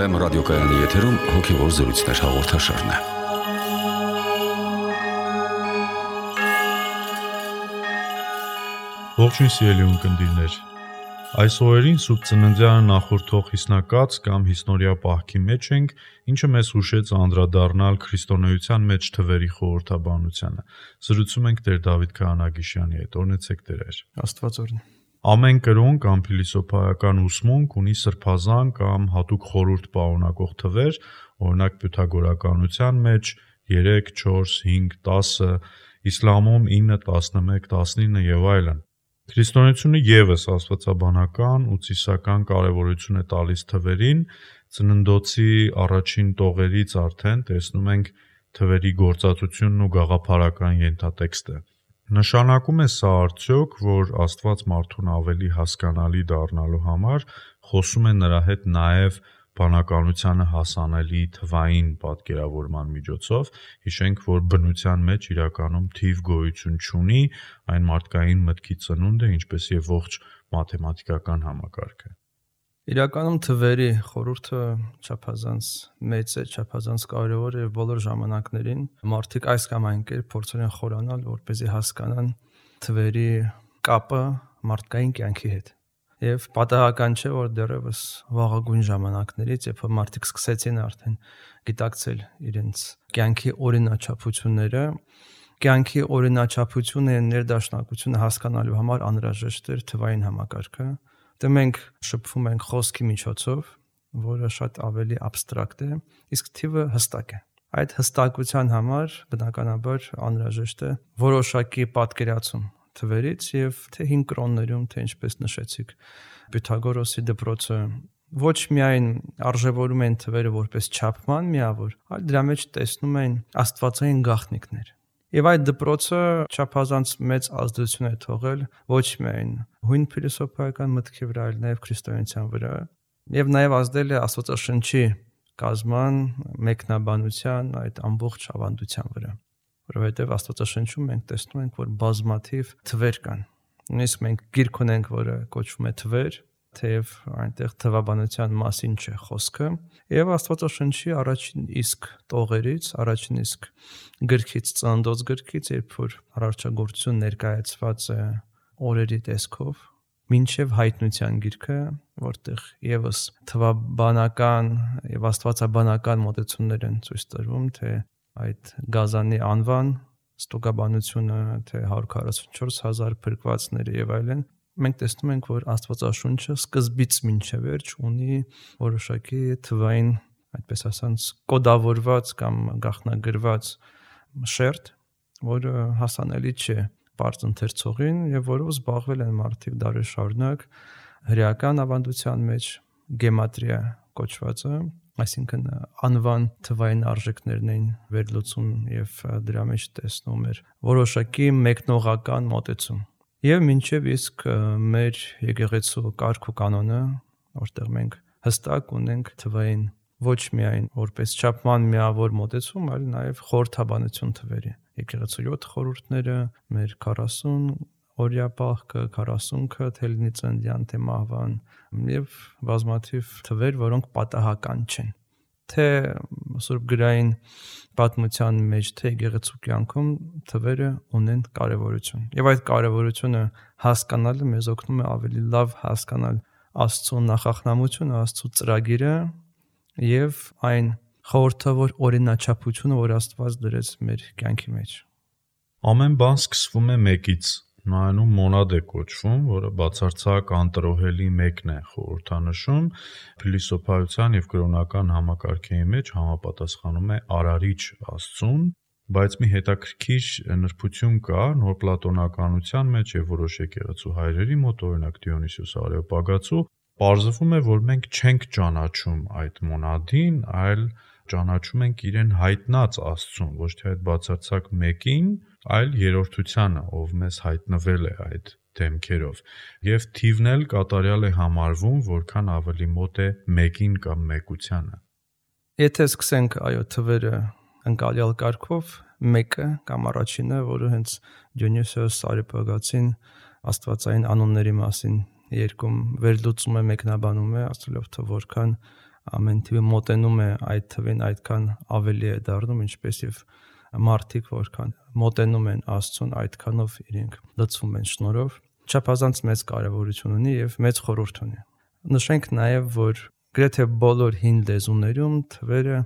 Վեմ ռադիոկայանի եթերում հոգևոր զրույցներ հաղորդաշարն է։ Ողջույն սիրելի ունկնդիրներ։ Այս օրերին Սուրբ Ծննդյանը նախորդող հիսնակաց կամ հիսնօրյա պահքի մեջ ենք, ինչը մեզ հուշեց անդրադառնալ քրիստոնեության մեջ թվերի խորհրդաբանությանը։ Զրուցում ենք Տեր Դավիթ Քահանագիշյանի հետ։ Օրհնեցեք Տեր։ Աստված օրհնի։ Ամեն կրոն կամ փիլիսոփայական ուսմունք ունի սրբազան կամ հատուկ խորհուրդ պարունակող թվեր, օրինակ պյութագորականության մեջ 3, 4, 5, 10, իսլամում 9, 11, 19 եւ այլն։ Քրիստոնեությունը եւս աստվածաբանական ու ծիսական կարեւորություն է տալիս թվերին, ծննդոցի առաջին տողերից արդեն տեսնում ենք թվերի գործածությունն ու գաղափարական ենթատեքստը։ Նշանակում է սա արդյոք, որ Աստված մարդուն ավելի հասկանալի դառնալու համար խոսում է նրա հետ նաև բանականությանը հասանելի թվային պատկերավորման միջոցով, հիշենք, որ բնության մեջ իրականում թիվ գոյություն չունի, այն մարդկային մտքի ծնունդ է, ինչպես եւ ողջ մաթեմատիկական համակարգը։ Իրականում թվերի խորհուրդը չափազանց մեծ է, չափազանց կարևոր է եւ բոլոր ժամանակներին մարդիկ այս կամ այն կերպ փորձում են խորանալ, որպեսզի հասկանան թվերի կապը մարդկային կյանքի հետ։ Եվ պատահական չէ, որ դեռևս վաղագույն ժամանակներից, երբ մարդիկ սկսեցին արդեն գիտակցել իրենց կյանքի օրինաչափությունները, կյանքի օրինաչափությունը եւ ներդաշնակությունը հասկանալու համար անհրաժեշտ էր թվային համակարգը։ Դե մենք շփվում ենք խոսքի միջոցով, որը շատ ավելի աբստրակտ է, իսկ թիվը հստակ է։ Այդ հստակության համար բնականաբար անհրաժեշտ է որոշակի պատկերացում թվերից եւ թե 5 կրոններում, թե ինչպես նշեցիք, Պյութագորոսի դպրոցը ոչ միայն արժևորում են թվերը որպես չափման միավոր, այլ դրա մեջ տեսնում են աստվածային գաղտնիքներ։ Եվ այդ դպրոցը չափազանց մեծ ազդեցություն է թողել ոչ միայն հույն փիլիսոփայական մտքի վրա, այլ նաև քրիստոնեության վրա, եւ նաև ազդել է Աստվածաշնչի կազման, մեկնաբանության, այդ ամբողջ ավանդության վրա, որովհետեւ Աստվածաշնչում մենք տեսնում ենք, որ բազմաթիվ թվեր կան։ Նույնիսկ մենք գիրք ունենք, որը կոչվում է թվեր, թեև այնտեղ թվաբանության մասին չէ խոսքը, եւ Աստվածաշնչի առաջին իսկ տողերից, առաջին իսկ գրքից, Ծննդոց գրքից, երբ որ արարչագործություն ներկայացված է օրերի տեսքով, մինչև հայտնության գիրքը, որտեղ եւս թվաբանական եւ աստվածաբանական մոտեցումներ են ցույց տրվում, թե այդ գազանի անվան, ստուգաբանությունը, թե 144,000 փրկվածները եւ այլն, մենք տեսնում ենք, որ Աստվածաշունչը սկզբից մինչև վերջ ունի որոշակի թվային, այդպես ասած, կոդավորված կամ գաղտնագրված շերտ, որը հասանելի չէ բարձ ընթերցողին եւ որով զբաղվել են մարդիկ դարեր շարունակ հրեական ավանդության մեջ գեմատրիա կոչվածը, այսինքն անվան թվային արժեքներն էին վերլուծում եւ դրա մեջ տեսնում էր որոշակի մեկնողական մոտեցում։ Եվ մինչև իսկ մեր եկեղեցու կարգ ու կանոնը, որտեղ մենք հստակ ունենք թվային ոչ միայն որպես չափման միավոր մոտեցում, այլ նաև խորհրդաբանություն թվերի։ Եկեղեցու 7 խորհուրդները, մեր 40 օրյա պահքը, 40-ը, թե լինի ծննդյան, թե մահվան, եւ բազմաթիվ թվեր, որոնք պատահական չեն։ Թե Սուրբ գրային պատմության մեջ, թե եկեղեցու կյանքում թվերը ունեն կարևորություն։ Եվ այդ կարևորությունը հասկանալը մեզ օգնում է ավելի լավ հասկանալ Աստծո նախախնամությունը, Աստծո ծրագիրը եւ այն խորհրդավոր օրինաչափությունը, որ Աստված դրեց մեր կյանքի մեջ։ Ամեն բան սկսվում է մեկից։ Նայանում մոնադ է կոչվում, որը բացարձակ անտրոհելի մեկն է խորհրդանշում, փիլիսոփայության եւ կրոնական համակարգերի մեջ համապատասխանում է արարիչ Աստծուն, բայց մի հետաքրքիր նրբություն կա նոր պլատոնականության մեջ եւ որոշ եկեղեցու հայրերի մոտ, օրինակ Դիոնիսիոս Արեոպագացու, պարզվում է, որ մենք չենք ճանաչում այդ մոնադին, այլ ճանաչում ենք իրեն հայտնած Աստծուն, ոչ թե այդ բացարձակ մեկին, այլ երրորդությանը, ով մեզ հայտնվել է այդ դեմքերով։ Եվ թիվն էլ կատարյալ է համարվում, որքան ավելի մոտ է մեկին կամ մեկությանը։ Եթե սկսենք այո թվերը ընկալյալ կարգով, մեկը կամ առաջինը, որը հենց Դիոնիսիոս Արեոպագացին աստվածային անունների մասին երկում վերլուծում է, մեկնաբանում է, ասելով թե որքան ամեն թիվը մոտենում է այդ թվին, այդքան ավելի է դառնում, ինչպես եւ մարդիկ որքան մոտենում են Աստծուն, այդքանով իրենք լցվում են շնորհով, չափազանց մեծ կարևորություն ունի եւ մեծ խորհուրդ ունի։ Նշենք նաեւ, որ գրեթե բոլոր հին լեզուներում թվերը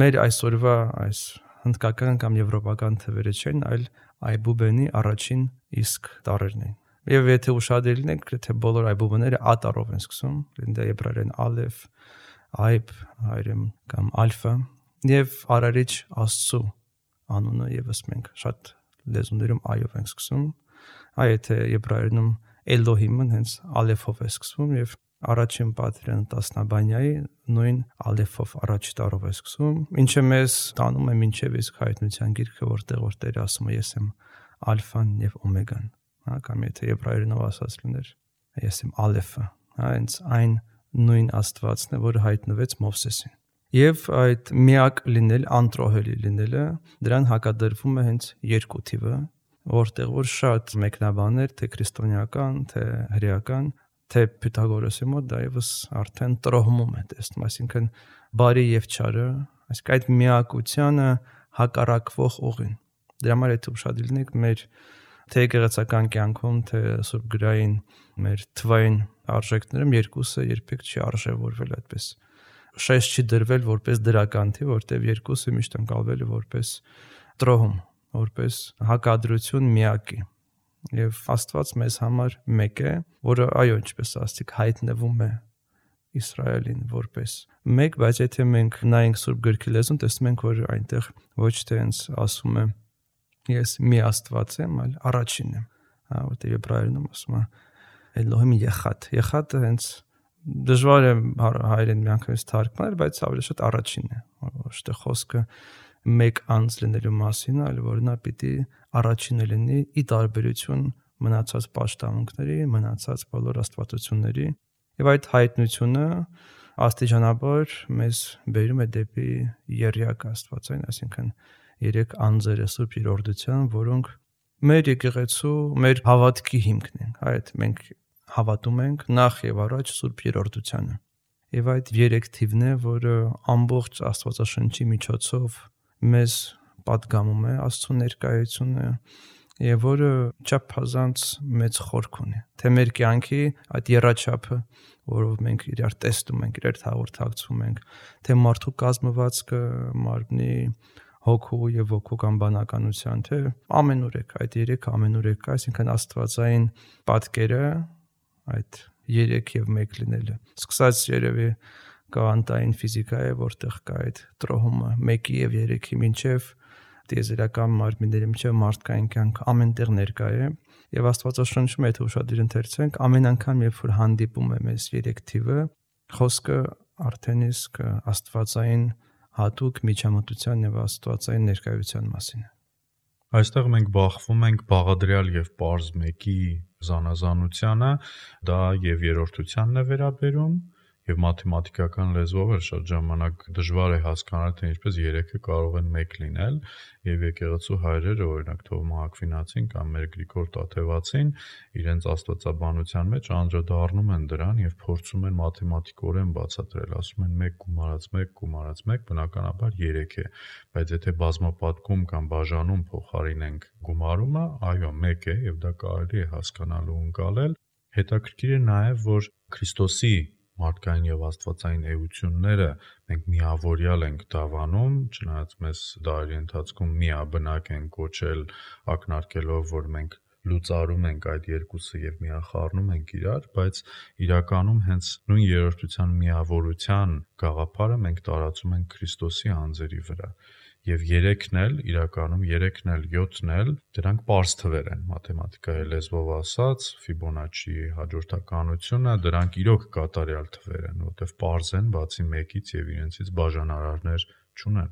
մեր այսօրվա այս հնդկական կամ եվրոպական թվերը չեն, այլ այբուբենի առաջին իսկ տառերն են։ Եվ եթե ուշադիր լինենք, գրեթե բոլոր այբուբենները ատարով են սկսում, դա եբրայերեն ալեֆ, այբ, հայերեն կամ ալֆա, եւ արարիչ Աստծո անունը եւս մենք շատ լեզուներում այով ենք սկսում, եթե եբրայերենում Էլոհիմը հենց ալեֆով է սկսվում եւ առաջին պատվիրան տասնաբանյայի նույն ալեֆով առաջի տառով է սկսում, ինչը մեզ տանում է մինչև իսկ հայտնության գիրքը, որտեղ Տերը ասում է ես եմ ալֆան եւ օմեգան, կամ եթե եբրայերենով ասած լիներ ես եմ ալեֆը, հենց այն նույն Աստվածն է, որը հայտնվեց Մովսեսին։ Եվ այդ միակ լինել, անտրոհելի լինելը, դրան հակադրվում է հենց երկու թիվը, որտեղ որ շատ մեկնաբաններ, թե քրիստոնեական, թե հրեական, թե Փյութագորոսի մոտ դա եւս արդեն տրոհում է տեսնում, այսինքն բարի եւ չարը, այսինքն այդ միակությանը հակառակվող ուղին։ Դրա համար եթե ուշադիր լինենք մեր թե եկեղեցական կյանքում, թե Սուրբ գրային մեր թվային արժեքներում երկուսը երբեք չի արժևորվել այդպես։ Շեշտ չի դրվել որպես դրական թիվ, որտեղ երկուսը միշտ ընկալվել է որպես տրոհում, որպես հակադրություն միակի։ Եվ Աստված մեզ համար մեկ է, որը այո, ինչպես ասացիք, հայտնվում է Իսրայելին որպես մեկ, բայց եթե մենք նայենք Սուրբ գրքի լեզուն, տեսնում ենք, որ այնտեղ ոչ թե հենց ասում է ես մի Աստված եմ, այլ առաջինն եմ, որտեղ եբրայերենում ասում է Էլոհիմ Եղադ։ Եղադը հենց դժվար է հայերեն միանգամից թարգմանել, բայց ավելի շատ առաջինն է, ոչ թե խոսքը մեկ անձ լինելու մասին, այլ որ նա պիտի առաջինը լինի ի տարբերություն մնացած պաշտամունքների, մնացած բոլոր աստվածությունների, եւ այդ հայտնությունը աստիճանաբար մեզ բերում է դեպի եռյակ Աստվածային, այսինքն երեք անձերը Սուրբ Երորդության, որոնք մեր եկեղեցու, մեր հավատքի հիմքն են։ Այդ մենք հավատում ենք նախ եւ առաջ Սուրբ Երորդությանը։ Եվ այդ երեք թիվն է, որը ամբողջ Աստվածաշնչի միջոցով մեզ պատգամում է Աստծո ներկայությունը եւ որը չափազանց մեծ խորք ունի։ Թե մեր կյանքի այդ եռաչափը, որով մենք իրար տեսնում ենք, իրար հաղորդակցվում ենք, թե մարդու կազմվածքը, մարմնի, հոգու եւ ոգու կամ բանականության, թե ամենուրեք, այդ երեք ամենուրեք, այսինքն Աստվածային պատկերը, այդ երեք եւ մեկ լինելը։ Սկսած երևի կվանտային ֆիզիկայի, որտեղ կա այդ տրոհումը 1-ի եւ 3-ի մինչեւ տիեզերական մարմինների մինչեւ մարդկային կյանք ամենտեղ ներկա է եւ Աստվածաշնչում եթե ուշադիր ընթերցենք ամեն անգամ երբ որ հանդիպում է մեզ 3 թիվը խոսքը արդեն իսկ Աստվածային հատուկ միջամտության եւ Աստվածային ներկայության մասին է։ Այստեղ մենք բախվում ենք բաղադրյալ եւ պարզ մեկի զանազանությանը, դա եւ երրորդությանն է վերաբերում եւ մաթեմատիկական լեզվով էլ շատ ժամանակ դժվար է հասկանալ թե ինչպես 3-ը կարող են 1 լինել եւ եկեղեցու հայրերը օրինակ Թովմա Ակվինացին կամ մեր Գրիգոր Տաթևացին իրենց աստվածաբանության մեջ անդրադառնում են դրան եւ փորձում են մաթեմատիկորեն բացատրել, ասում են 1 գումարած 1 գումարած 1 բնականաբար 3 է, բայց եթե բազմապատկում կամ բաժանում փոխարինենք գումարումը, այո 1 է եւ դա կարելի է հասկանալ ու ընկալել։ Հետաքրքիր է նաեւ որ Քրիստոսի մարդկային եւ աստվածային էությունները մենք միավորյալ ենք դավանում, չնայած մեզ դարերի ընթացքում միաբնակ են կոչել ակնարկելով, որ մենք լուծարում ենք այդ երկուսը եւ միախառնում ենք իրար, բայց իրականում հենց նույն երրորդության միավորության գաղափարը մենք տարածում ենք Քրիստոսի անձերի վրա։ Եվ 3-ն էլ իրականում 3-ն էլ 7-ն էլ դրանք պարզ թվեր են մաթեմատիկայի լեզվով ասած, Ֆիբոնաչի հաջորդականությունը դրանք իրոք կատարյալ թվեր են, որտեղ պարզ են, բացի 1-ից եւ իրենցից բաժանարարներ չունեն։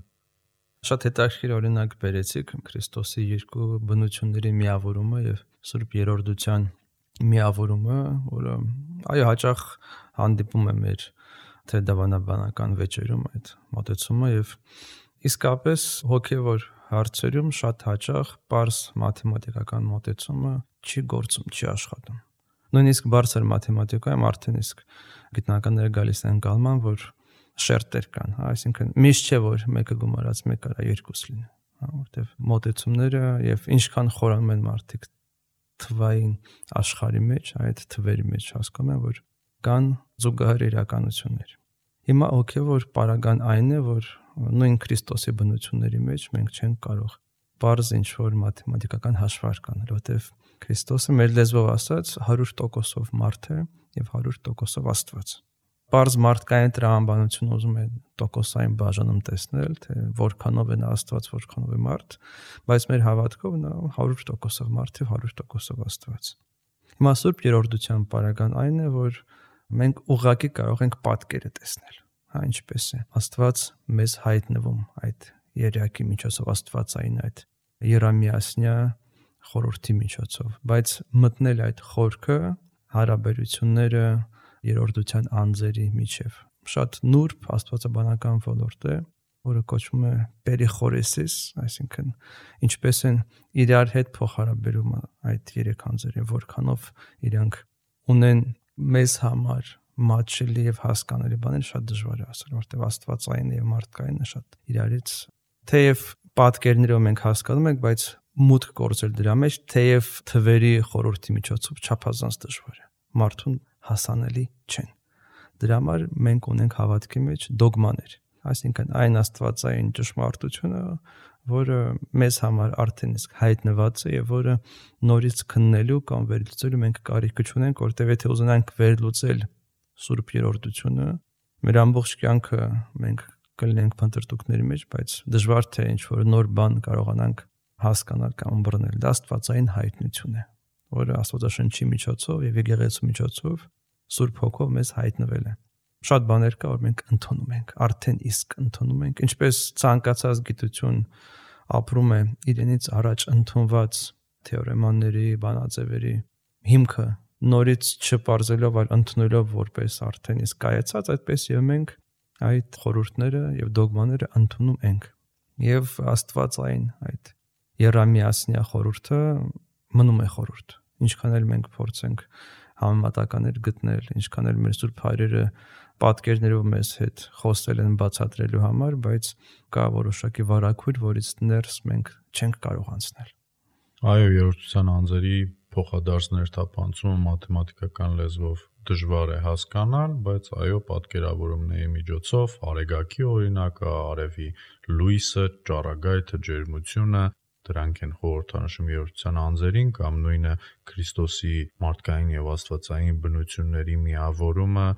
Շատ հետաքրքիր օրինակ բերեցիք Քրիստոսի երկու բնությունների միավորումը եւ Սուրբ Երորդության միավորումը, որը այո հաճախ հանդիպում է մեր թե դավանաբանական վեճերում այդ մոտեցումը եւ իսկապես հոգևոր հարցերում շատ հաճախ պարզ մաթեմատիկական մոտեցումը չի գործում, չի աշխատում։ Նույնիսկ բարձր մաթեմատիկայում արդեն իսկ գիտնականները գալիս են կալման, որ շերտեր կան, այսինքն միշտ չէ որ մեկը գումարած մեկ արա երկուս լինի, որտեվ մոտեցումները եւ ինչքան խորանում են մարդիկ թվային աշխարհի մեջ, այդ թվերի մեջ հասկանում են, որ կան զուգահեռ իրականություններ։ Հիմա հոգևոր պարագան այն է, որ նույն Քրիստոսի բնությունների մեջ մենք չենք կարող բարձ ինչ-որ մաթեմատիկական հաշվարկ անել, որտեղ Քրիստոսը մեր լեզվով ասած 100%-ով մարդ է եւ 100%-ով Աստված։ Բարձ մարդկային տրամաբանություն ուզում է տոկոսային բաժանում տեսնել, թե որքանով է նա Աստված, որքանով է մարդ, բայց մեր հավատքով նա 100%-ով մարդ եւ 100%-ով Աստված։ Հիմա Սուրբ Երորդության պարագան այն է, որ մենք ուղղակի կարող ենք պատկերը տեսնել, ինչպես է Աստված մեզ հայտնվում այդ երակի միջոցով, Աստվածային այդ երամիասնյա խորհրդի միջոցով, բայց մտնել այդ խորքը, հարաբերությունները երորդության անձերի միջև շատ նուրբ աստվածաբանական ոլորտ է, որը կոչվում է պերիխորեսիս, այսինքն ինչպես են իրար հետ փոխհարաբերում այդ երեք անձերը, որքանով իրանք ունեն մեզ համար մատչելի եւ հասկանալի բաներ, շատ դժվար է ասել, որտեղ աստվածային եւ մարդկայինը շատ իրարից թեև պատկերներով մենք հասկանում ենք, բայց մուտք գործել դրա մեջ, թեև թվերի խորհրդի միջոցով չափազանց դժվար է, մարդուն հասանելի չեն։ Դրա համար մենք ունենք հավատքի մեջ դոգմաներ, այսինքն այն աստվածային ճշմարտությունը, որը մեզ համար արդեն իսկ հայտնված է եւ որը նորից քննելու կամ վերլուծելու մենք կարիք չունենք, որտեղ եթե ուզենանք վերլուծել Սուրբ Երորդությունը, մեր ամբողջ կյանքը մենք կլինենք փնտրտուքների մեջ, բայց դժվար թե ինչ-որ նոր բան կարողանանք հասկանալ կամ ըմբռնել։ Դա աստվածային հայտնություն է, որը Աստվածաշնչի միջոցով եւ եկեղեցու միջոցով Սուրբ Հոգով մեզ հայտնվել է։ Շատ բաներ կա, որ մենք ընդունում ենք, արդեն իսկ ընդունում ենք, ինչպես ցանկացած գիտություն ապրում է իրենից առաջ ընդունված թեորեմաների, բանաձևերի հիմքը նորից չպարզելով, այլ ընդունելով որպես արդեն իսկ կայացած, այդպես եւ մենք այդ խորհուրդները եւ դոգմաները ընդունում ենք։ Եվ Աստվածային այդ երամիասնյա խորհուրդը մնում է խորհուրդ։ Ինչքան էլ մենք փորձենք համեմատականներ գտնել, ինչքան էլ մեր Սուրբ Հայրերը պատկերներով մեզ հետ խոսել են բացատրելու համար, բայց կա որոշակի վարակույր, որից ներս մենք չենք կարող անցնել։ Այո, երորդության անձերի փոխադարձ թափանցումը մաթեմատիկական լեզվով դժվար է հասկանալ, բայց այո, պատկերավորումների միջոցով արեգակի օրինակը, արևի լույսը, ճառագայթը, ջերմությունը, դրանք են խորհրդանշում երորդության անձերին կամ նույնը Քրիստոսի մարդկային եւ աստվածային բնությունների միավորումը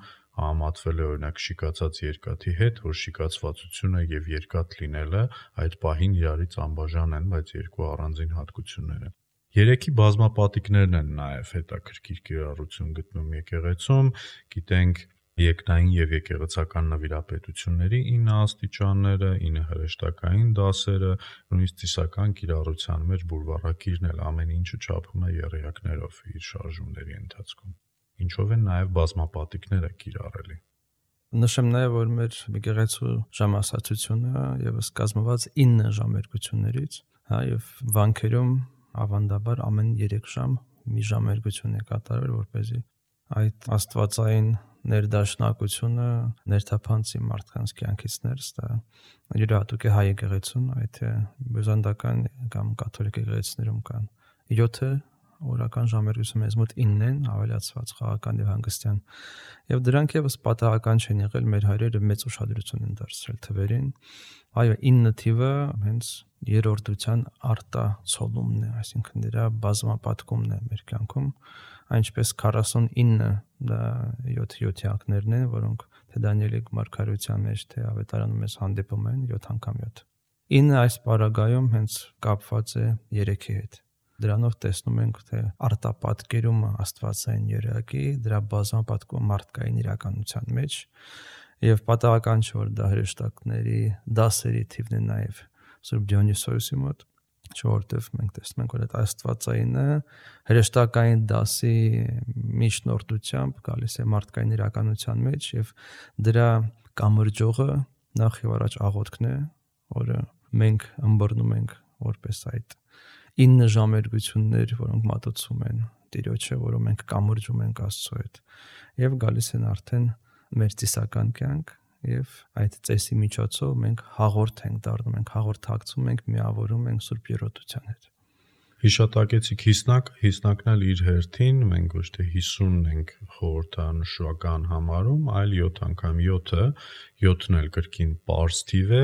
համատվել է օրինակ շիկացած երկաթի հետ, որ շիկացվածությունը եւ երկաթ լինելը այդ պահին իրարից անբաժան են, բայց երկու առանձին հատկություններ են։ Երեքի բազմապատիկներն են նաև հետաքրքիր կիրառություն գտնում եկեղեցում, գիտենք երկնային եւ եկեղեցական նվիրապետությունների 9 աստիճանները, 9 հրեշտակային դասերը, նույնիսկ ծիսական կիրառության մեջ բուրվառակիրն էլ ամեն ինչը չափում է եռյակներով իր շարժումների ընթացքում։ Ինչով են նաև բազմապատիկները կիրառելի։ Նշեմ նաև, որ մեր եկեղեցու ժամասացությունը եւս կազմված 9 ժամերգություններից, եւ վանքերում ավանդաբար ամեն 3 ժամ մի ժամերգություն է կատարվել, որպեսզի այդ աստվածային ներդաշնակությունը ներթափանցի մարդկանց կյանքից ներս, դա յուրահատուկ է հայ եկեղեցուն, այդ բյուզանդական կամ կաթոլիկ եկեղեցիներում կան 7 օրական ժամերգություն, մեզ մոտ 9 են, ավելացված խաղական եւ հանգստյան, եւ դրանք եւս պատահական չեն եղել, մեր հայրերը մեծ ուշադրություն են դարձրել թվերին։ Այո, 9 թիվը հենց երորդության արտացոլումն է, այսինքն դրա բազմապատկումն է մեր կյանքում, այնպես 49 դա 7 են, որոնք թե Դանիելի մարգարեության մեջ, թե ավետարանում մեզ հանդիպում են 7 անգամ 7։ 9 այս պարագայում հենց կապված է երեքի հետ։ Դրանով տեսնում ենք, թե արտապատկերումը աստվածային երակի, դրա բազմապատկումը մարդկային իրականության մեջ, եւ պատահական չէ, որ դա հրեշտակների դասերի թիվն է նաեւ Սուրբ Դիոնիսիոսի մոտ, որովհետեւ մենք տեսնում ենք, որ այդ աստվածայինը հրեշտակային դասի միջնորդությամբ գալիս է մարդկային իրականության մեջ եւ դրա կամրջողը նախ եւ առաջ աղոթքն է, որը մենք ըմբռնում ենք որպես այդ 9 ժամերգություններ, որոնք մատուցում են Տիրոջը, որոնք մենք կամրջում ենք Աստծո հետ, եւ գալիս են արդեն մեր ծիսական կյանք եւ այդ ծեսի միջոցով մենք հաղորդ ենք դառնում, մենք հաղորդակցում ենք, միավորում ենք Սուրբ Եռոտության հետ։ Հիշատակեցիք հիսնակն էլ իր հերթին, մենք ոչ թե 50 ենք խորհրդանշական համարում, այլ 7 անգամ 7-ը, 7-ն էլ կրկին պարզ թիվ է,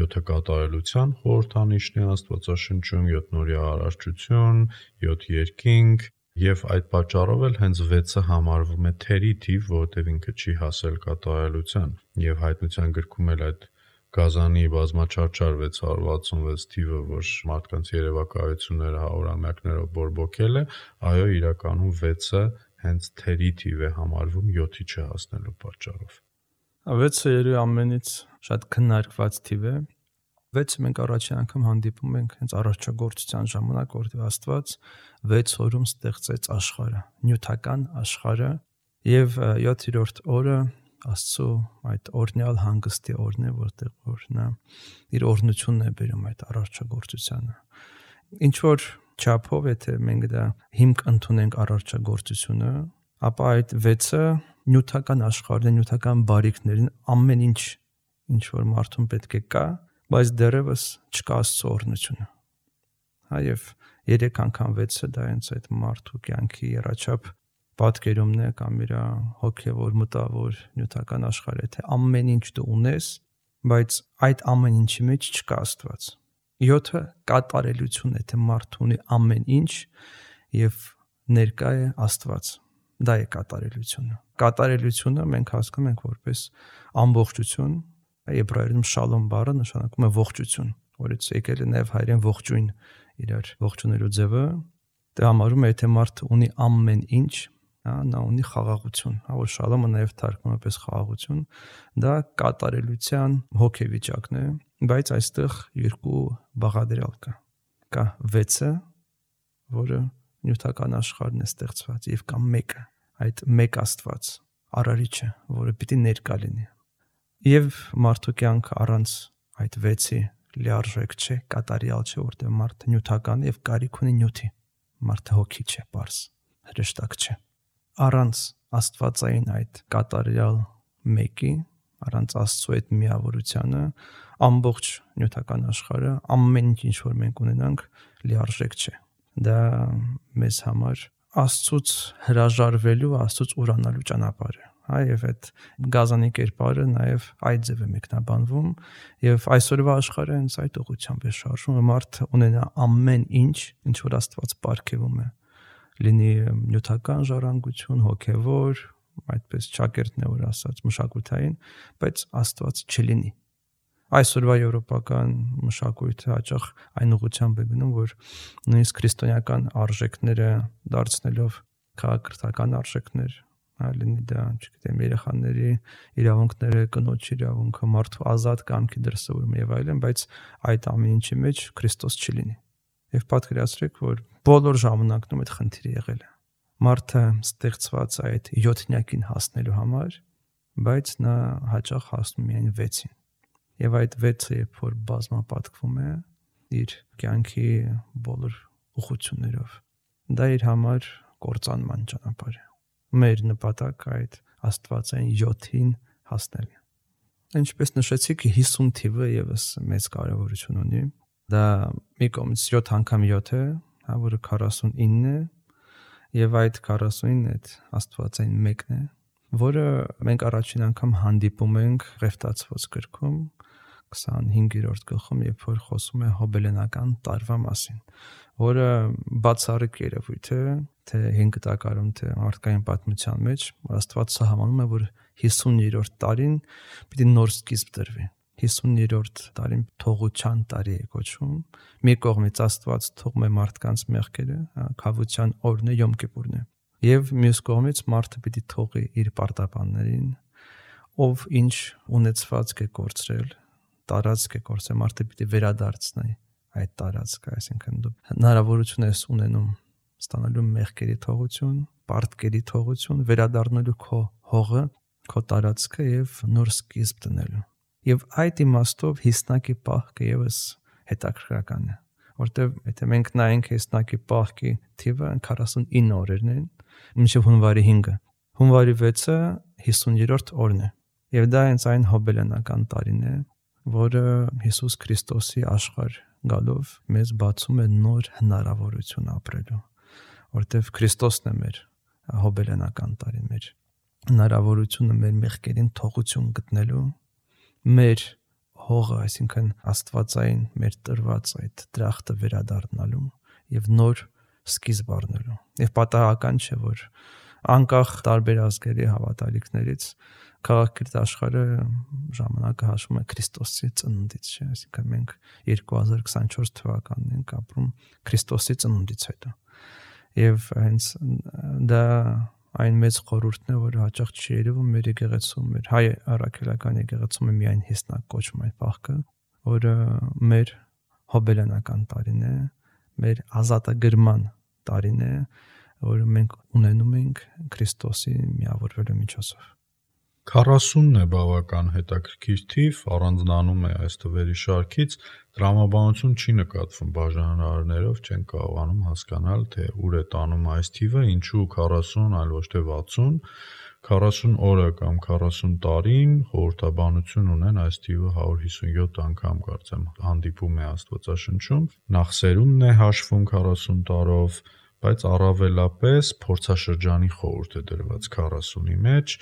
7-ը կատարելության խորհրդանիշն է Աստվածաշնչում, 7 նորի արարչություն, 7 երկինք, եւ այդ պատճառով էլ հենց 6-ը համարվում է թերի թիվ, որովհետեւ ինքը չի հասել կատարելության, եւ հայտնության գրքում էլ այդ Գազանի բազմաչարչար 666 թիվը, որ մարդկանց երևակայությունները հարյուրամյակներով բորբոքել է, այո, իրականում 6-ը հենց թերի թիվ է համարվում 7-ի չհասնելու պատճառով։ 6-ը երևի ամենից շատ քննարկված թիվ է։ 6-ը մենք առաջին անգամ հանդիպում ենք հենց առաջագործության ժամանակ, որտեղ Աստված 6 օրում ստեղծեց աշխարհը, նյութական աշխարհը, եւ 7-րդ օրը Աստծո այդ օրնյալ հանգստի օրն է, որտեղ որ նա իր օրհնությունն է բերում այդ արարչագործությանը։ Ինչ որ չափով, եթե մենք դա հիմք ընդունենք արարչագործությունը, ապա այդ 6-ը նյութական աշխարհն է, նյութական բարիքներին, ամեն ինչ որ մարդուն պետք է կա, բայց դեռևս չկա Աստծո օրհնությունը։ Եվ 3 անգամ 6-ը դա հենց այդ մարդու կյանքի երաչափ պատկերումն է կամ իր հոգևոր մտավոր նյութական աշխարհը, թե ամեն ինչ դու ունես, բայց այդ ամեն ինչի մեջ չկա Աստված։ 7-ը կատարելություն է, թե մարդը ունի ամեն ինչ եւ ներկա է Աստված։ Դա է կատարելությունը։ Կատարելությունը մենք հասկանում ենք որպես ամբողջություն, եբրայերեն շալոմ բառը նշանակում է ողջություն, որից եկել է նաև հայերեն ողջույն, իրար ողջունելու ձևը, դա համարում է, թե մարդը ունի ամեն ինչ, նա ունի խաղաղություն, որ շալոմը նաև թարգմանվում է պես խաղաղություն, դա կատարելության հոգեվիճակն է, բայց այստեղ երկու բաղադրյալ կա։ Կա 6-ը, որը նյութական աշխարհն է ստեղծված, եւ կա 1-ը, այդ մեկ Աստված, արարիչը, որը պիտի ներկա լինի։ Եվ մարդու կյանքը առանց այդ 6-ի լիարժեք չէ, կատարյալ չէ, որտեղ մարդը նյութական եւ կարիք ունի նյութի։ Մարդը հոգի չէ, պարզ, հրեշտակ չէ։ Առանց Աստվածային այդ կատարյալ մեկի, առանց Աստծո այդ միավորությանը, ամբողջ նյութական աշխարհը, ամեն ինչ որ մենք ունենանք, լիարժեք չէ։ Դա մեզ համար Աստծուց հրաժարվելու, Աստծուց ուրանալու ճանապարհ է։ Եվ այդ գազանի կերպարը նաև այդ ձև է մեկնաբանվում, եւ այսօրվա աշխարհը հենց այդ ուղղությամբ է շարժվում, մարդը ունենա ամեն ինչ, ինչ որ Աստված պարգևում է, լինի նյութական ժառանգություն, հոգևոր, այդպես ճակերտն է որ ասած, մշակութային, բայց Աստված չլինի։ Այսօրվա եվրոպական մշակույթը հաճախ այն ուղղությամբ է գնում, որ նույնիսկ քրիստոնեական արժեքները դարձնելով քաղաքական արժեքներ, լինի դա, չգիտեմ, երեխաների իրավունքները, կնոջ իրավունքը, մարդու ազատ կամքի դրսևորումը եւ այլն, բայց այդ ամեն ինչի մեջ Քրիստոս չլինի։ Եվ պատկերացրեք, որ բոլոր ժամանակներում այդ խնդիրը եղել է։ Մարդը ստեղծված այդ 7-նյակին հասնելու համար, բայց նա հաճախ հասնում միայն 6-ին։ Եվ այդ 6-ը երբ որ բազմապատկվում է իր կյանքի բոլոր ուղղություններով, դա իր համար կործանման ճանապարհ է։ Մեր նպատակը այդ Աստվածային 7-ին հասնելն է։ Ինչպես նշեցիք, 50 թիվը եւս մեծ կարեւորություն ունի։ Դա մի կողմից 7 անգամ 7 է, որը 49 է, եւ այդ 49-ն այդ Աստվածային 1-ն է, որը մենք առաջին անգամ հանդիպում ենք Ղևտացված գրքում 25-րդ գլխում, երբ որ խոսում է հոբելենական տարվա մասին, որը բացառիկ երևույթ է, թե 5 տակարում, թե մարդկային պատմության մեջ, Աստված սահմանում է, որ 50-րդ տարին պիտի նոր սկիզբ դրվի։ 50-րդ տարին թողության տարի է կոչվում։ Մի կողմից Աստված թողում է մարդկանց մեղքերը, քավության օրն է, Յոմ Կիպուրն է։ Եվ մյուս կողմից մարդը պիտի թողի իր պարտապաններին, ով ինչ ունեցվածք է կորցրել, տարածք է կորցրել, մարդը պիտի վերադարձնի այդ տարածքը, այսինքն դու հնարավորություն ես ունենում ստանալու մեղքերի թողություն, պարտքերի թողություն, վերադառնալու քո հողը, քո տարածքը եւ նոր սկիզբ դնելու։ Եվ այդ իմաստով հիսնակի պահքը եւս հետաքրքրական է, որտեղ եթե մենք նայենք հիսնակի պահքի թիվը 49 օրերն են, մինչև հունվարի 5-ը։ Հունվարի 6-ը 50-րդ օրն է։ Եվ դա հենց այն հոբելյանական տարին է, որը Հիսուս Քրիստոսի աշխարհ գալով մեզ բացում է նոր հնարավորություն ապրելու, որտեղ Քրիստոսն է մեր հոբելյանական տարին, մեր հնարավորությունը մեր մեղքերին թողություն գտնելու, մեր հողը, այսինքն աստվածային մեր տրված այդ դրախտը վերադառնալու եւ նոր սկիզբ առնելու։ Եվ պատահական չէ, որ անկախ տարբեր ազգերի հավատալիքներից քաղաքակիրթ աշխարհը ժամանակը հաշվում է Քրիստոսի ծնունդից, չէ՞, այսինքն մենք 2024 թվականին ենք ապրում Քրիստոսի ծնունդից հետո։ Եվ հենց դա այն մեծ խորհուրդն է, որը հաճախ չի երևում մեր եկեղեցում, մեր հայ առաքելական եկեղեցում է միայն հիսնակ կոչվում այդ պահքը, որը մեր հոբելյանական տարին է, մեր ազատագրման տարին է, որը մենք ունենում ենք Քրիստոսի միավորվելու միջոցով։ 40-ն է բավական հետաքրքիր թիվ, առանձնանում է այս թվերի շարքից, տրամաբանություն չի նկատվում բաժանարարներով, չեն կարողանում հասկանալ, թե ուր է տանում այս թիվը, ինչու 40, այլ ոչ թե 60, 40 օրը կամ 40 տարին խորհրդաբանություն ունեն այս թիվը 157 անգամ կարծեմ հանդիպում է Աստվածաշնչում, նախ սերունդն է հաշվում 40 տարով, բայց առավելապես փորձաշրջանի խորհուրդ է դրված 40-ի մեջ,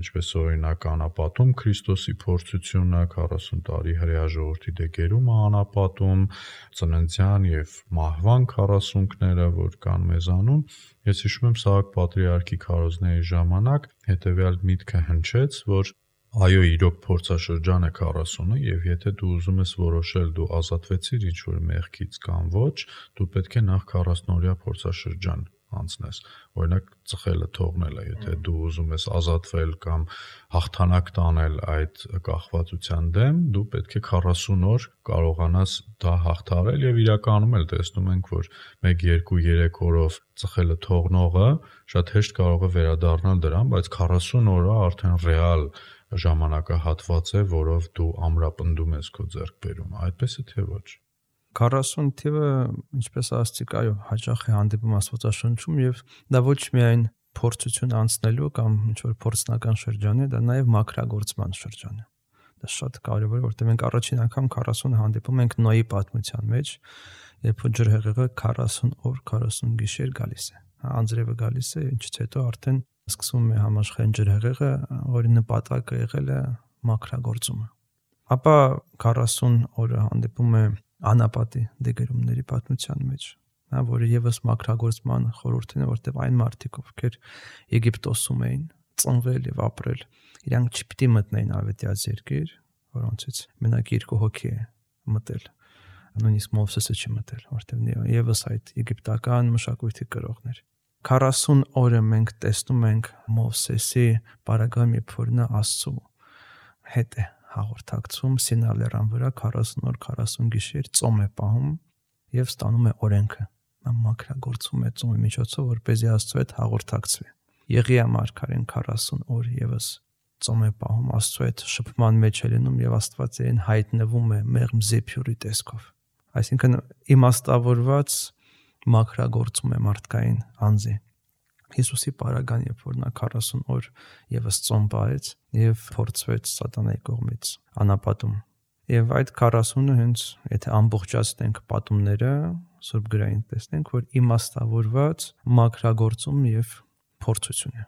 ինչպես օրինակ անապատում Քրիստոսի փորձությունը, 40 տարի հրեա ժողովրդի դեգերումը անապատում, ծննդյան եւ մահվան 40-ները, որ կան մեզանում։ Ես հիշում եմ Սահակ պատրիարքի քարոզների ժամանակ հետեւյալ միտքը հնչեց, որ այո, իրոք փորձաշրջան է 40-ը եւ եթե դու ուզում ես որոշել դու ազատվեցիր ինչ-որ մեղքից կամ ոչ, դու պետք է նախ 40-օրյա փորձաշրջան անցնես։ Օրինակ ծխելը թողնելը, եթե դու ուզում ես ազատվել կամ հաղթանակ տանել այդ կախվածության դեմ, դու պետք է 40 օր կարողանաս դա հաղթահարել եւ իրականում էլ տեսնում ենք, որ 1-2-3 օրով ծխելը թողնողը շատ հեշտ կարող է վերադառնալ դրան, բայց 40 օրը արդեն ռեալ ժամանակահատված է, որով դու ամրապնդում ես քո ձեռքբերումը, այդպես է թե ոչ։ 40 թիվը, ինչպես ասացիք, այո, հաճախ է հանդիպում Աստվածաշնչում եւ դա ոչ միայն փորձություն անցնելու կամ ինչ-որ փորձնական շրջան է, դա նաեւ մաքրագործման շրջան է։ Դա շատ կարեւոր է, որտեղ մենք առաջին անգամ 40 հանդիպում ենք Նոյի պատմության մեջ, երբ ջրհեղեղը 40 օր, 40 գիշեր գալիս է։ Անձրևը գալիս է, ինչից հետո արդեն սկսվում է համաշխարհային ջրհեղեղը, որի նպատակը եղել է մաքրագործումը։ Ապա 40 օրը հանդիպում է անապատի դեգերումների պատմության մեջ, որը եւս մաքրագործման խորհուրդն է, որտեղ այն մարդիկ, ովքեր Եգիպտոսում էին ծնվել եւ ապրել, իրանք չպիտի մտնեին ավետյաց երկիր, որոնցից մենակ 2 հոգի է մտել, նույնիսկ Մովսեսը չի մտել, որտեղ եւս այդ եգիպտական մշակույթի կրողներ։ 40 օրը մենք տեսնում ենք Մովսեսի բարագայում, երբ որ նա Աստծու հետ է հաղորդակցում Սինա լեռան վրա 40 օր 40 գիշեր ծոմ է պահում եւ ստանում է օրենքը։ Նա մաքրագործում է ծոմի միջոցով, որպեսզի Աստծու հետ հաղորդակցվի։ Եղիա մարգարեն 40 օր եւս ծոմ է պահում, Աստծու հետ շփման մեջ է լինում եւ Աստվածային հայտնվում է մեղմ զեփյուրի տեսքով։ Այսինքն իմաստավորված մաքրագործում է մարդկային անձի։ Հիսուսի պարագան, երբ որ նա 40 օր եւս ծոմ պահեց եւ փորձվեց սատանայի կողմից անապատում։ Եվ այդ 40-ը հենց, եթե ամբողջացնենք պատումները, Սուրբ գրային տեսնենք, որ իմաստավորված մաքրագործում եւ փորձություն է։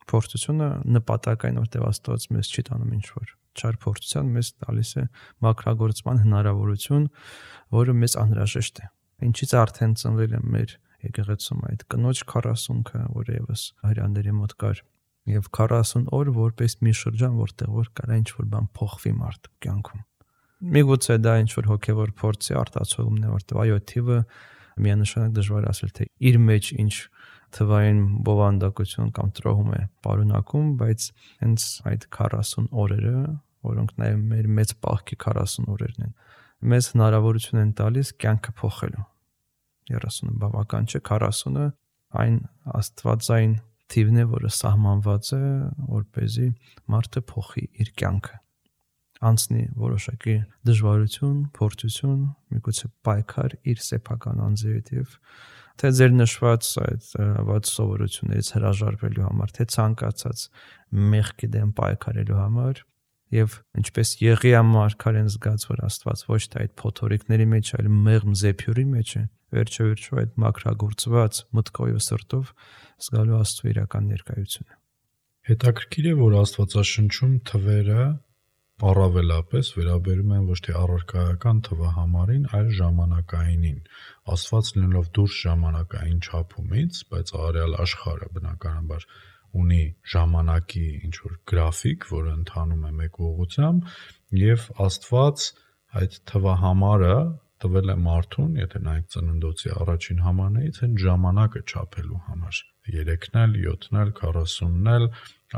Փորձությունը նպատակային, որտեղ Աստված մեզ չի տանում ինչ-որ չար փորձության, մեզ տալիս է մաքրագործման հնարավորություն, որը մեզ անհրաժեշտ է։ Ինչից արդեն ծնվել է մեր եկեղեցում այդ կնոջ 40-ը, որը եւս հрьяաների մոտ կար, եւ 40 օր որպես մի շրջան, որտեղ որ կարա ինչ-որ բան փոխվի մարդու կյանքում։ Միգուցե դա ինչ-որ հոգեվոր փորձի արտացոլումն է, որտեղ այո, թիվը միանշանակ դժվար ասել, թե իր մեջ ինչ թվային բովանդակություն կամ տրոհում է պարունակում, բայց հենց այդ 40 օրերը, որոնք նաեւ մեր մեծ պահքի 40 օրերն են, մեզ հնարավորություն են տալիս կյանքը փոխելու։ 30-ը բավական չէ, 40-ը այն աստվածային թիվն է, որը սահմանված է, որպեսզի մարդը փոխի իր կյանքը, անցնի որոշակի դժվարություն, փորձություն, միգուցե պայքար իր սեփական անձի հետ եւ թե ձեր նշված այդ աված սովորություններից հրաժարվելու համար, թե ցանկացած մեղքի դեմ պայքարելու համար, եւ ինչպես Եղիա մարգարեն զգաց, որ Աստված ոչ թե այդ փոթորիկների մեջ, այլ մեղմ զեփյուրի մեջ է, վերջո այդ մաքրագործված մտքով ու սրտով զգալու Աստծո իրական ներկայությունը։ Հետաքրքիր է, որ Աստվածաշնչում թվերը առավելապես վերաբերում են ոչ թե առարկայական թվահամարին, այլ ժամանակայինին։ Աստված լինելով դուրս ժամանակային չափումից, բայց արեալ աշխարհը բնականաբար ունի ժամանակի ինչ-որ գրաֆիկ, որը ընթանում է մեկ ուղղությամբ, եւ Աստված այդ թվահամարը տվել է մարդուն, եթե նայեք ծննդոցի առաջին համարներից, այն ժամանակը չափելու համար։ 3-ն էլ, 7-ն էլ, 40-ն էլ,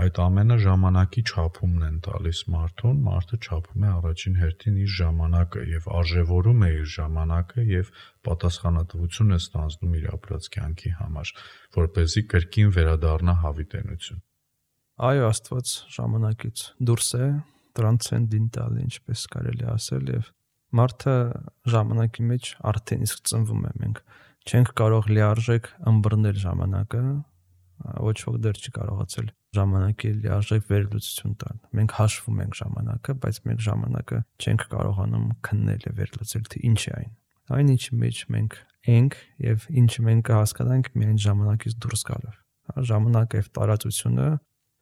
այդ ամենը ժամանակի չափումն են տալիս մարդուն, մարդը չափում է առաջին հերթին իր ժամանակը եւ արժեվորում է իր ժամանակը եւ պատասխանատվություն է ստանձնում իր ապրած կյանքի համար, որպեսզի կրկին վերադառնա հավիտենություն։ Այո, Աստված ժամանակից դուրս է, տրանսցենդենտալ, ինչպես կարելի ասել, եւ մարդը ժամանակի մեջ արդեն իսկ ծնվում է։ Մենք չենք կարող լիարժեք ըմբռնել ժամանակը, ոչ ոք դեռ չի կարողացել ժամանակի լիարժեք վերլուծություն տալ։ Մենք հաշվում ենք ժամանակը, բայց մենք ժամանակը չենք կարողանում քննել եւ վերլուծել, թե ինչ է այն։ Այն ինչի մեջ մենք ենք եւ ինչը մենք կհասկանանք միայն ժամանակից դուրս գալով։ Ժամանակը եւ տարածությունը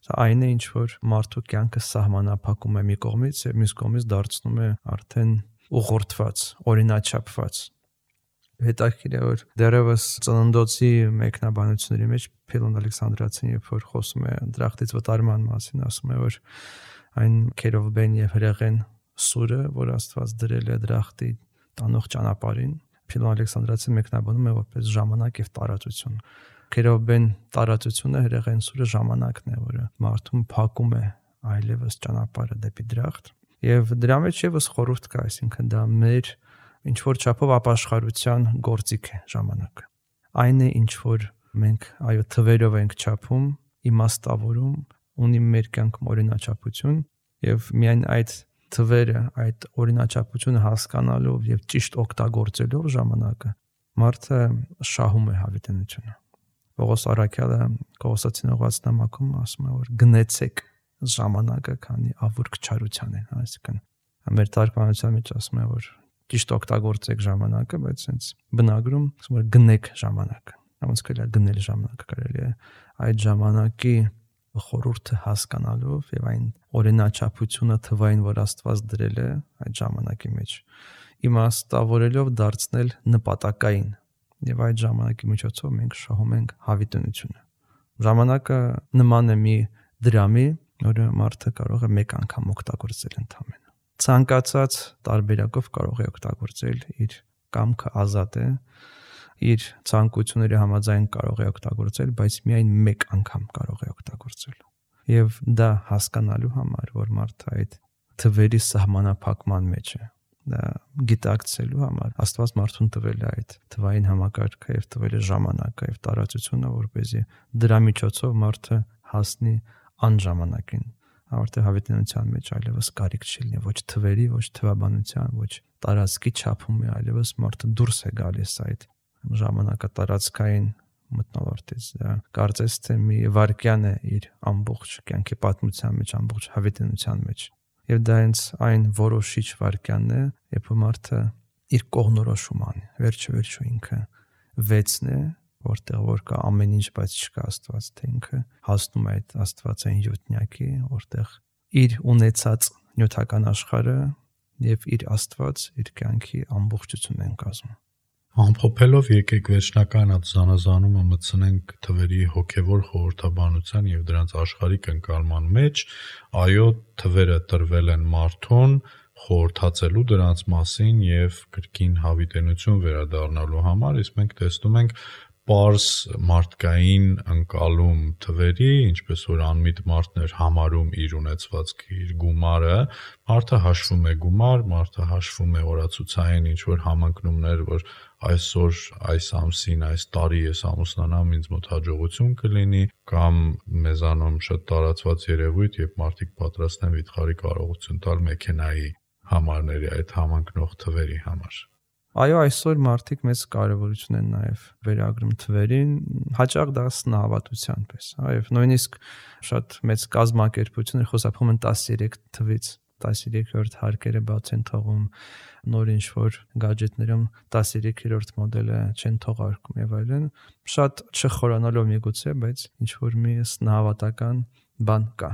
սա այն է, ինչ որ մարդու կյանքը սահմանափակում է մի կողմից եւ մյուս կողմից դարձնում է արդեն ուղղորդված, օրինաչափված։ Հետաքրքիր է, որ դեռևս ծննդոցի մեկնաբանությունների մեջ Փիլոն Ալեքսանդրացին, երբ որ խոսում է դրախտից վտարման մասին, ասում է, որ այն քերովբեն եւ հրեղեն սուրը, որ Աստված դրել է դրախտի տանող ճանապարհին, Փիլոն Ալեքսանդրացին մեկնաբանում է որպես ժամանակ եւ տարածություն։ Քերովբեն տարածությունը, հրեղեն սուրը ժամանակն է, որը մարդուն փակում է այլևս ճանապարհը դեպի դրախտ։ Եվ դրա մեջ եւս խորհուրդ կա, այսինքն դա մեր ինչ որ չափով ապաշխարության գործիք է ժամանակը։ Այն է, ինչ որ մենք այո թվերով ենք չափում, իմաստավորում, ունի մեր կյանքում օրինաչափություն եւ միայն այդ թվերը, այդ օրինաչափությունը հասկանալով եւ ճիշտ օգտագործելով ժամանակը, մարդը շահում է հավիտենությունը։ Պողոս Առաքյալը Կողոսացին ուղղված նամակում ասում է, որ գնեցեք ժամանակը, քանի ավուրք չարության են, այսինքն մեր թարգմանության մեջ ասում է, որ ճիշտ օգտագործեք ժամանակը, բայց հենց բնագրում ասում է գնեք ժամանակը։ Ոնց կարելի է գնել ժամանակը, կարելի է այդ ժամանակի խորհուրդը հասկանալով եւ այն օրինաչափությունը թվային, որ Աստված դրել է այդ ժամանակի մեջ, իմաստավորելով դարձնել նպատակային եւ այդ ժամանակի միջոցով մենք շահում ենք հավիտենությունը։ Ժամանակը նման է մի դրամի, որը մարդը կարող է մեկ անգամ օգտագործել ընդհանրապես։ Ցանկացած տարբերակով կարող է օգտագործել, իր կամքը ազատ է, իր ցանկությունների համաձայն կարող է օգտագործել, բայց միայն մեկ անգամ կարող է օգտագործել։ Եվ դա հասկանալու համար, որ մարդը այդ թվերի սահմանափակման մեջ է, դա գիտակցելու համար Աստված մարդուն տվել է այդ թվային համակարգը եւ տվել է ժամանակը եւ տարածությունը, որպեսզի դրա միջոցով մարդը հասնի անժամանակին, արդեն հավիտենության մեջ այլևս կարիք չլինի ոչ թվերի, ոչ թվաբանության, ոչ տարածքի չափում է, այլևս մարդը դուրս է գալիս այդ ժամանակատարածքային մթնոլորտից։ Դա կարծես թե մի վայրկյան է իր ամբողջ կյանքի պատմության մեջ, ամբողջ հավիտենության մեջ։ Եվ դա հենց այն որոշիչ վայրկյանն է, երբ մարդը իր կողնորոշում անի, վերջը ինքը վեցն է, որտեղ որ կա ամեն ինչ, բայց չկա Աստված, թե ինքը հասնում է այդ Աստվածային յոթնյակի, որտեղ իր ունեցած նյութական աշխարհը եւ իր Աստված իր կյանքի ամբողջությունն են կազմում։ Ամփոփելով եկեք վերջնական այդ զանազանումը մտցնենք թվերի հոգևոր խորհրդաբանության եւ դրանց աշխարհիկ ընկալման մեջ, այո, թվերը տրվել են մարդուն խորհրդածելու դրանց մասին եւ կրկին հավիտենություն վերադառնալու համար, իսկ մենք տեսնում ենք պարզ մարդկային ընկալում թվերի, ինչպես որ անմիտ մարդն էր համարում իր ունեցվածքի, իր գումարը, մարդը հաշվում է գումար, մարդը հաշվում է օրացուցային ինչ-որ համընկնումներ, որ այսօր, այս ամսին, այս տարի ես ամուսնանամ, ինձ մոտ հաջողություն կլինի, կամ մեզանում շատ տարածված երևույթ, երբ մարդիկ պատրաստ են վիթխարի կարողություն տալ մեքենայի համարների այդ համընկնող թվերի համար։ Այո, այսօր մարդիկ մեծ կարևորություն են նաև վերագրում թվերին, հաճախ դա սնահավատության պես, եւ նույնիսկ շատ մեծ կազմակերպություններ խոսափում են 13 թվից, 13-րդ հարկերը բաց են թողում, նոր ինչ-որ գadgetներում 13-րդ մոդելը չեն թողարկում եւ այլն, շատ չխորանալով միգուցե, բայց ինչ-որ մի սնահավատական բան կա։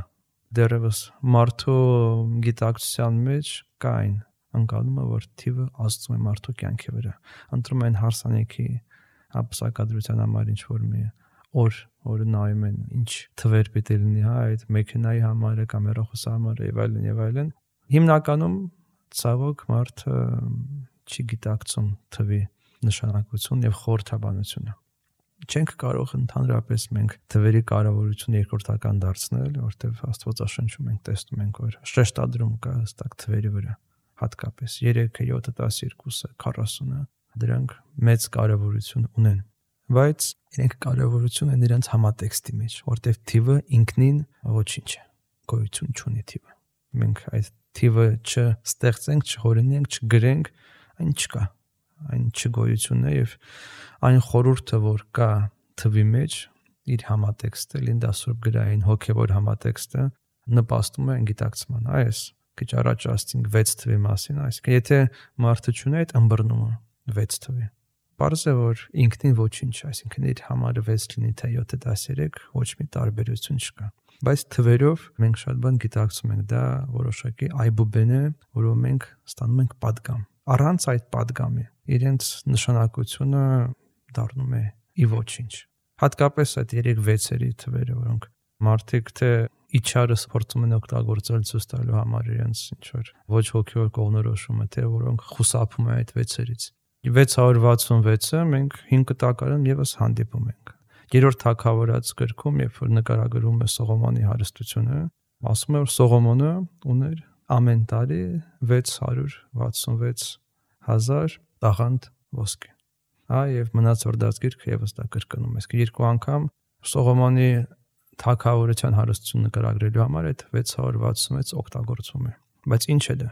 Դեռևս մարդու գիտակցության մեջ կա այն ընկալումը, որ թիվը ազդում է մարդու կյանքի վրա։ Ընտրում են հարսանիքի ապսակադրության համար ինչ-որ մի օր նայում են ինչ թվեր պետք է լինի, այդ մեքենայի համարը կամ հեռախոսի համարը եւ այլն։ Հիմնականում ցավոք մարդը չի գիտակցում թվի նշանակություն եւ խորհրդաբանությունը։ Չենք կարող ընդհանրապես մենք թվերի կարևորությունը երկրորդական դարձնել, որտեղ Աստվածաշնչում ենք տեսնում ենք, որ շեշտադրում կա հստակ թվերի վրա, հատկապես 3-ը, 7-ը, 12-ը, 40-ը, դրանք մեծ կարևորություն ունեն, բայց իրենք կարևորություն են իրենց համատեքստի մեջ, որտեղ թիվը ինքնին ոչինչ է, գոյություն չունի թիվը։ Մենք այդ թիվը չստեղծենք, չհորինենք, չգրենք, այն չկա, այն չգոյությունն է եւ այն խորհուրդը, որ կա թվի մեջ, իր համատեքստը, Լինդասուրբ գրային հոգեվոր համատեքստը նպաստում է գիտակցման։ Այս քիչ առաջ ասացինք 6 թվի մասին, այսինքն եթե մարդը չունի այդ ըմբռնումը 6 թվի, պարզ է որ ինքնին ոչինչ, այսինքն իր համարը 6 լինի թե 7-ը 13, ոչ մի տարբերություն չկա։ Բայց թվերով մենք շատ բան գիտակցում ենք, դա որոշակի այբուբեն է, որով մենք ստանում ենք պատգամ։ Առանց այդ պատգամի իրենց նշանակությունը դառնում է ի ոչինչ։ Հատկապես այդ 3-6-երի թվերը, որոնք մարդիկ թե իջարս փորձում են օգտագործել ցույց տալու համար իրենց ինչ-որ ոչ հոգեոր կողմնորոշումը, թե որոնք խուսափում են այդ 6-երից։ 666-ը մենք 5 տակարան եւս հանդիպում ենք։ Երրորդ թագավորաց գրքում, երբ որ նկարագրում է Սողոմոնի հարստությունը, ասում է, որ Սողոմոնը ուներ ամեն տարի 666,000 տաղանդ ոսկի։ Եվ մնացորդած գիրքը եւս դա կրկնում է։ Երկու անգամ Սողոմոնի թագավորության հարստությունը նկարագրելու համար այդ 666 օգտագործվում է։ Բայց ինչ է դա։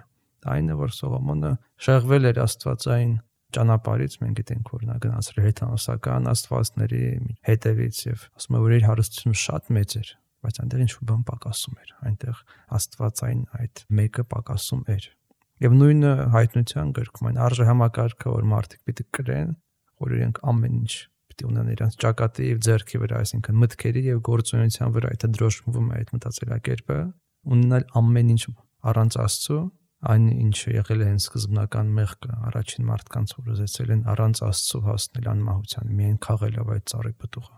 Այն է, որ Սողոմոնը շեղվել էր աստվածային ճանապարհից, մենք գիտենք, որ նա գնացել էր հեթանոսական աստվածների հետևից եւ ասում է, որ իր հարստությունը շատ մեծ էր, բայց այնտեղ ինչ-որ բան պակասում էր, այնտեղ աստվածային այդ մեկը պակասում էր։ Եվ նույնը հայտնության գրքում այն արժե համակարգը, որ մարդիկ պիտի կրեն, որ իրենք ամեն ինչ պիտի ունենան իրենց ճակատի եւ ձեռքի վրա, այսինքն մտքերի եւ գործունեության վրա, եթե դրոշմվում է այդ մտածելակերպը, ունենալ ամեն ինչ առանց Աստծո, այն ինչը եղել է հենց սկզբնական մեղքը, առաջին մարդկանց որ ուզեցել են առանց Աստծո հասնել անմահության, միայն քաղելով այդ ծառի պտուղը։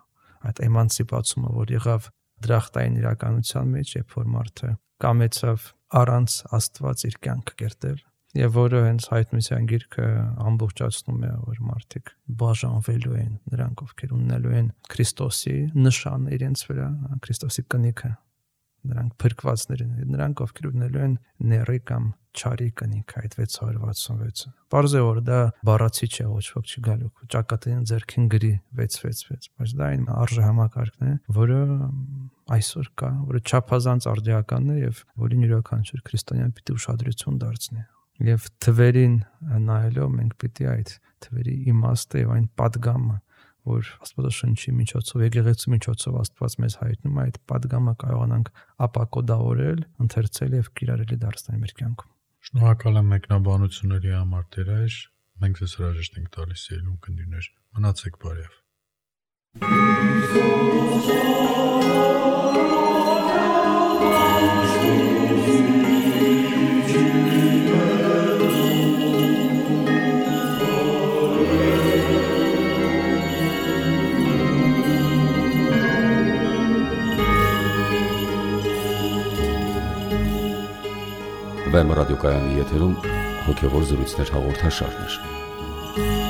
Այդ էմանցիպացումը, որ եղավ դրախտային իրականության մեջ, երբ որ մարդը կամեցավ առանց Աստված իր կյանքը կերտել, եւ որը հենց հայտնության գիրքը ամբողջացնում է, որ մարդիկ բաժանվելու են, նրանք ովքեր ունենալու են Քրիստոսի նշանը իրենց վրա, Քրիստոսի կնիքը, նրանք փրկվածներ են, նրանք ովքեր ունենալու են ների կամ չարի կնիքը, այդ 666-ը։ Պարզ է, որ դա բառացիչ է, ոչ ոք չի գալու, ճակատին ձեռքին գրի 666, բայց դա այն արժե համակարգն է, որը այսօր կա, որը չափազանց արդիականն է եւ որին յուրաքանչյուր քրիստոնյան պիտի ուշադրություն դարձնի։ Եվ թվերին նայելով մենք պիտի այդ թվերի իմաստը եւ այն պատգամը, որ Աստվածաշնչի միջոցով, եկեղեցու միջոցով Աստված մեզ հայտնում է, այդ պատգամը կարողանանք ապակոդավորել, ընթերցել եւ կիրառելի դարձնել մեր կյանքում։ Շնորհակալ եմ մեկնաբանությունների համար, Տեր այր։ Մենք ձեզ հրաժեշտ ենք տալիս ելուն կնդիրներ։ Մնացեք բարև։ Վեմ ռադիոկայանի եթերում հոգևոր զրույցներ հաղորդաշարներ։